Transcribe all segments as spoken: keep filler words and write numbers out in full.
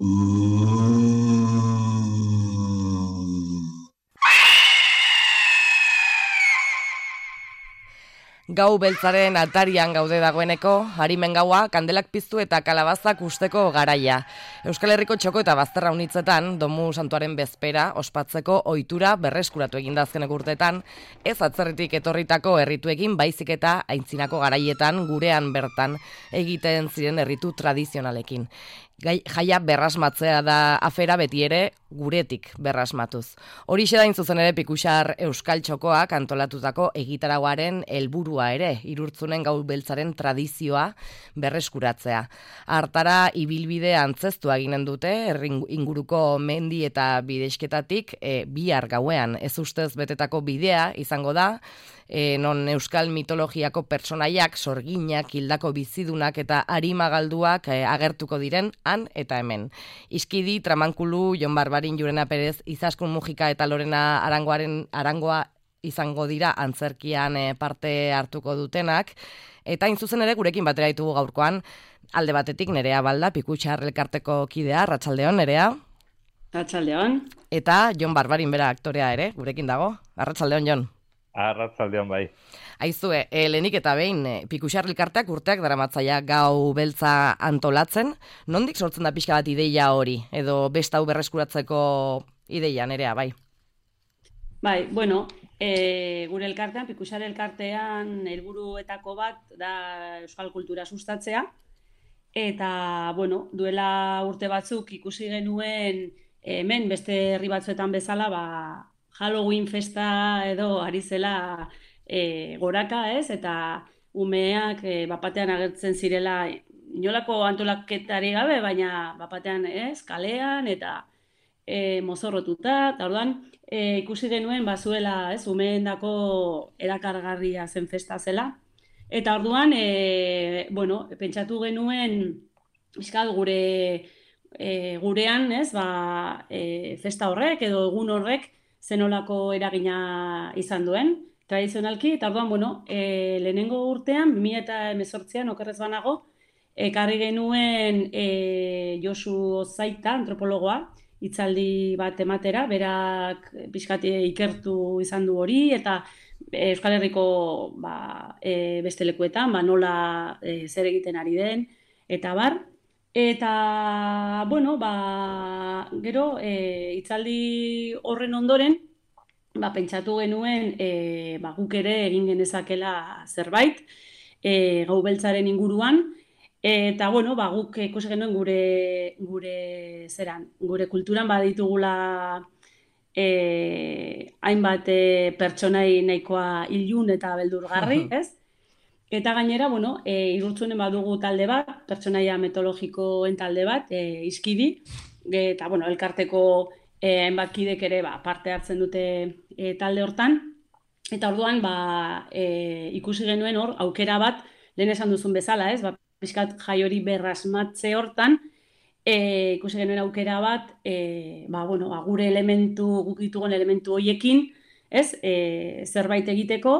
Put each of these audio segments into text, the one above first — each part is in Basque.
Gau beltzaren atarian gaude dagoeneko, harimen gaua, kandelak piztu eta kalabazak usteko garaia. Euskal Herriko txoko eta bazterra unitzetan, Domu Santuaren bezpera ospatzeko ohitura berreskuratu eginda azkenek urteetan, ez atzerritik etorritako errituekin baizik eta aintzinako garaietan gurean bertan egiten ziren erritu tradizionalekin. Gai, jaia berrasmatzea da afera beti ere guretik berrasmatuz. Horixe da zuzen ere Pikuxar Euskal Txokoak antolatutako egitaragoaren helburua ere, Irurtzunen gau beltzaren tradizioa berreskuratzea. Hartara ibilbide antzeztua eginen dute, herri inguruko mendi eta bidezketatik e, bihar gauean ez ustez betetako bidea izango da, E, non euskal mitologiako pertsonaiak, sorginak, hildako bizidunak eta arimagalduak e, agertuko diren han eta hemen. Iskidi, Tramankulu, Jon Barbarin, Jurena Perez, Izaskun Mujika eta Lorena Arangoaren Arangoa izango dira antzerkian e, parte hartuko dutenak. Eta hain zuzen ere gurekin batera ditugu gaurkoan, alde batetik Nerea Balda, Pikuxar elkarteko kidea, Arratsaldeon, Nerea. Arratsaldeon. Eta Jon Barbarin bera aktorea ere, gurekin dago. Arratsaldeon, Jon. Arratsaldeon bai. Aizue, e, lehenik eta behin, e, Pikuxar elkarteak urteak daramatzaia gau beltza antolatzen. Nondik sortzen da pixka bat ideia hori? Edo besta hau berreskuratzeko ideia, Nerea, bai? Bai, bueno, e, gure elkartean, Pikuxar elkartean helburuetako bat da euskal kultura sustatzea. Eta, bueno, duela urte batzuk ikusi genuen hemen beste herri batzuetan bezala, ba, Halloween festa edo ari zela e, goraka, ez? Eta umeak e, bapatean agertzen zirela inolako antolaketari gabe, baina bapatean, ez? Kalean eta e, mozorrotuta. Eta orduan e, ikusi genuen bazuela, ez? Umeendako erakargarria zen festa zela. Eta orduan, e, bueno, pentsatu genuen pixkat gure e, gurean, ez? Ba, e, festa horrek edo egun horrek zenolako eragina izan duen, tradizionalki, eta orduan, bueno, e, lehenengo urtean, bi mila hemezortzian, okerrez banago, ekarri genuen e, Josu Ozaita, antropologoa, hitzaldi bat ematera, berak pixkat ikertu izan du hori, eta Euskal Herriko ba, e, beste lekuetan, ba, nola e, zer egiten ari den, eta bar. Eta, bueno, ba, gero, e, hitzaldi horren ondoren, ba, pentsatu genuen e, ba, guk ere egin genezakela zerbait, e, gau beltzaren inguruan, eta, bueno, ba, guk ikusi genuen gure, gure, zeran, gure kulturan baditugula e, hainbat e, pertsonai nahikoa ilun eta beldurgarri, ez? Eta gainera, bueno, e, Irurtzunen badugu talde bat, pertsonaia mitologikoen talde bat, e, Iskidi, eta, bueno, elkarteko e, hainbat kidek ere ba, parte hartzen dute e, talde hortan. Eta orduan, ba, e, ikusi genuen hor, aukera bat, lehen esan duzun bezala, ez? Ba, pixkat jai hori berrasmatze hortan, e, ikusi genuen aukera bat, e, ba, bueno, ba, gure elementu, guk ditugun elementu horiekin, ez? E, zerbait egiteko,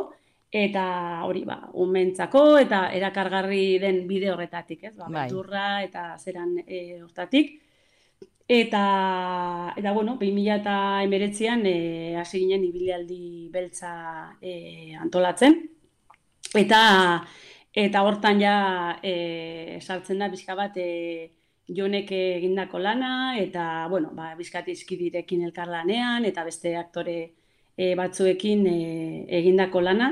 eta hori, ba, umentzako eta erakargarri den bide horretatik, ez? Ba, beldurra eta zeran e, hortatik. Eta, eta bueno, bi mila hemeretzian e, hasi ginen ibilaldi beltza e, antolatzen. Eta, eta hortan ja e, sartzen da bizka bat e, Jonek egindako lana, eta, bueno, ba, bizkat Iskidirekin elkarlanean, eta beste aktore e, batzuekin e, egindako lana.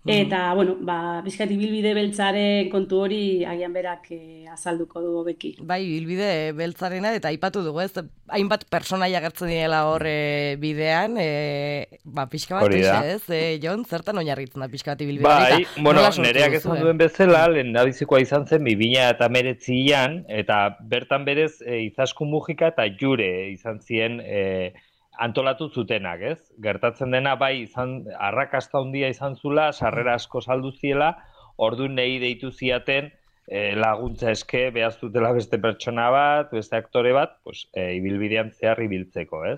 Eta, bueno, ba, bizkat ibilbide beltzaren kontu hori agian berak e, azalduko du hobeki. Bai, ibilbide beltzarena, eta aipatu dugu, ez? Hainbat pertsonaia agertzen direla hor e, bidean, e, ba, pixka bat, ez, e, Jon, zertan oinarritzen da pixka bat ibilbide? Bai, bueno, Nereak esan duen bezala, lehendabizikoa izan zen bi mila hemeretzian, eta bertan berez e, Izaskun Mujika eta Jure izan ziren e, antolatu zutenak, ez? Gertatzen dena bai izan arrakasta handia izan zula, sarrera asko saldu ziela, orduan nei deitu ziaten e, laguntza eske behaztutela beste pertsona bat, beste aktore bat, pues, e, ibilbidean zehar ibiltzeko, ez?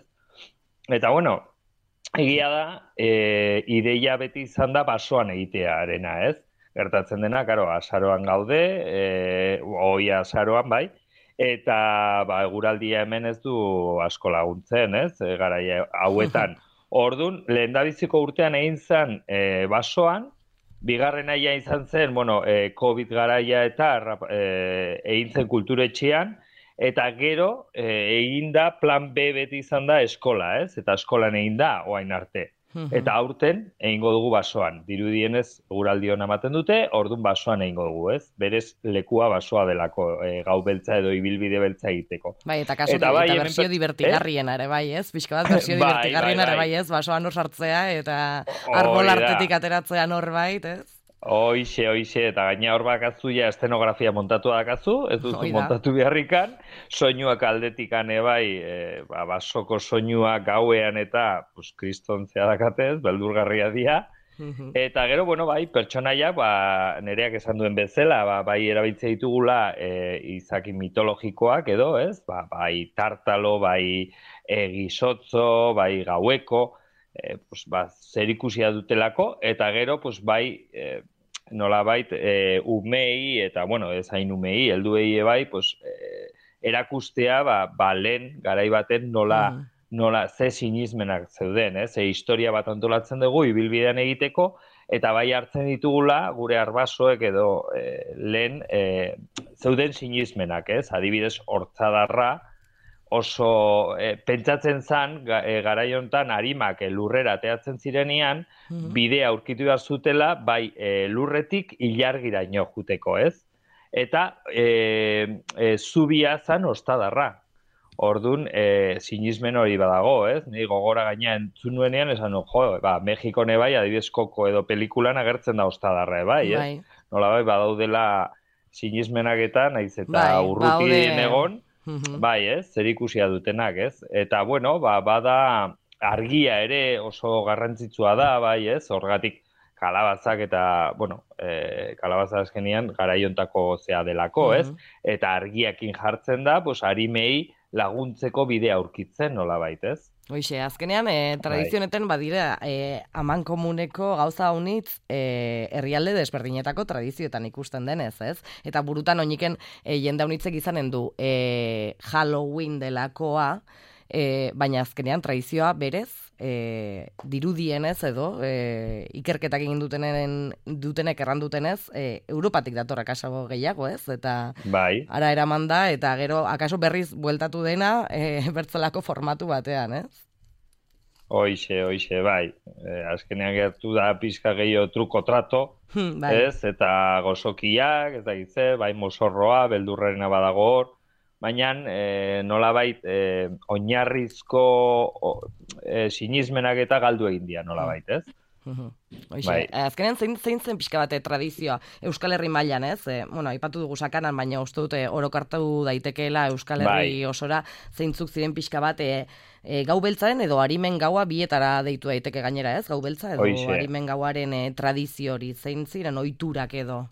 Eta bueno, egia da, e, ideia beti izan da basoan egitearena, ez? Gertatzen dena, karo, azaroan gaude, e, oia azaroan bai, eta ba, eguraldia hemen ez du asko laguntzen, ez, e, garaia hauetan. Ordun, lehendabiziko urtean egin zen e, basoan, bigarren aia izan zen, bueno, e, COVID garaia eta e, egin zen kulturetxean, eta gero e, egin da plan B beti izan da eskola, ez? Eta eskolan egin da, oain arte. Eta aurten egingo dugu basoan. Dirudienez eguraldi ona ematen dute, ordun basoan egingo dugu, ez? Berez lekua basoa delako, e, gau beltza edo ibilbide beltza egiteko. Bai, eta kaso eta, bai, eta bersio hemen, divertigarriena ere bai, ez? Pixka bat bersio bai, divertigarriena bai, bai. ere bai, ez? Basoan hor sartzea eta arbol artetik ateratzea norbait, ez? Hoixe, hoixe, eta gaina hor bakazu ja estenografia montatu dakazu, ez duzu montatu beharrikan, soinuak aldetikan ebai, e, ba, basoko soinuak gauean eta pues, kristontzea dakatez, beldurgarria dira, eta gero, bueno, bai, pertsonaia, ba, nereak esan duen bezala, ba, bai erabiltzea ditugula e, izaki mitologikoak edo, ez? Ba, bai tartalo, bai e, gizotzo, bai gaueko, E, pues, ba, zer ikusia dutelako, eta gero, pues, bai, e, nolabait, e, umei, eta, bueno, ez hain umei, helduei bai, pues, e, erakustea, ba, ba, lehen, garai baten nola, mm. nola, ze sinismenak zeuden, ez? Ze historia bat antolatzen dugu, ibilbidean egiteko, eta bai hartzen ditugula, gure arbasoek edo e, lehen, e, zeuden sinismenak, ez? Adibidez, hortzadarra, oso e, pentsatzen zan, ga, e, garaiontan harimak e, lurrera ateatzen zirenean, mm-hmm. bidea aurkitu behar zutela, bai e, lurretik ilargiraino juteko, ez? Eta e, e, zubia zan ostadarra. Ordun, e, sinismen hori badago, ez? Ni gogora gaina entzun nuenean, esan jo, ba, Mexikone bai, adibidez koko edo pelikulan agertzen da ostadarra, bai, ez? Bai. Nola bai, badaudela sinismenaketan, naiz eta bai, urrutien egon, bai, ez, zer ikusia dutenak, ez? Eta, bueno, ba, bada argia ere oso garrantzitsua da, bai, ez? Horgatik kalabazak eta, bueno, e, kalabaza azkenian garaiontako zea delako, ez? Eta argiakin jartzen da, pues, harimei laguntzeko bidea aurkitzen, nola bait, ez? Hoixe, azkenean, e, tradizioneten badira, e, aman komuneko gauza honitz e, herrialde desberdinetako tradizioetan ikusten denez, ez? Eta burutan oiniken e, jende honitzek izanen du e, Halloween delakoa, e, baina azkenean tradizioa berez, e, dirudienez edo, e, ikerketak egin dutenen, dutenek errandutenez, e, Europatik dator akaso gehiago, ez? Eta bai. Ara eraman da, eta gero akaso berriz bueltatu dena e, bertzelako formatu batean, ez? Hoixe, hoixe, bai. E, azkenean gertu da pizka gehiago truko trato, bai. Ez? Eta gozokiak, ez da gitze, bai mosorroa, beldurrarena badago hor, baina e, nolabait e, oinarrizko o, e, sinismenak eta galdu egin dira nolabait, ez? Hoixe, bai. Azkenean zein, zein zen pixka bate tradizioa Euskal Herri mailan, ez? E, bueno, aipatu dugu sakanan, baina uste dute orokartu daitekeela Euskal Herri bai. Osora zeintzuk ziren pixka bate e, gau beltzaren edo harimen gaua bietara deitu daiteke gainera, ez? Gau beltza edo Hoixe. Harimen gauaren e, tradizio hori zein ziren ohiturak edo?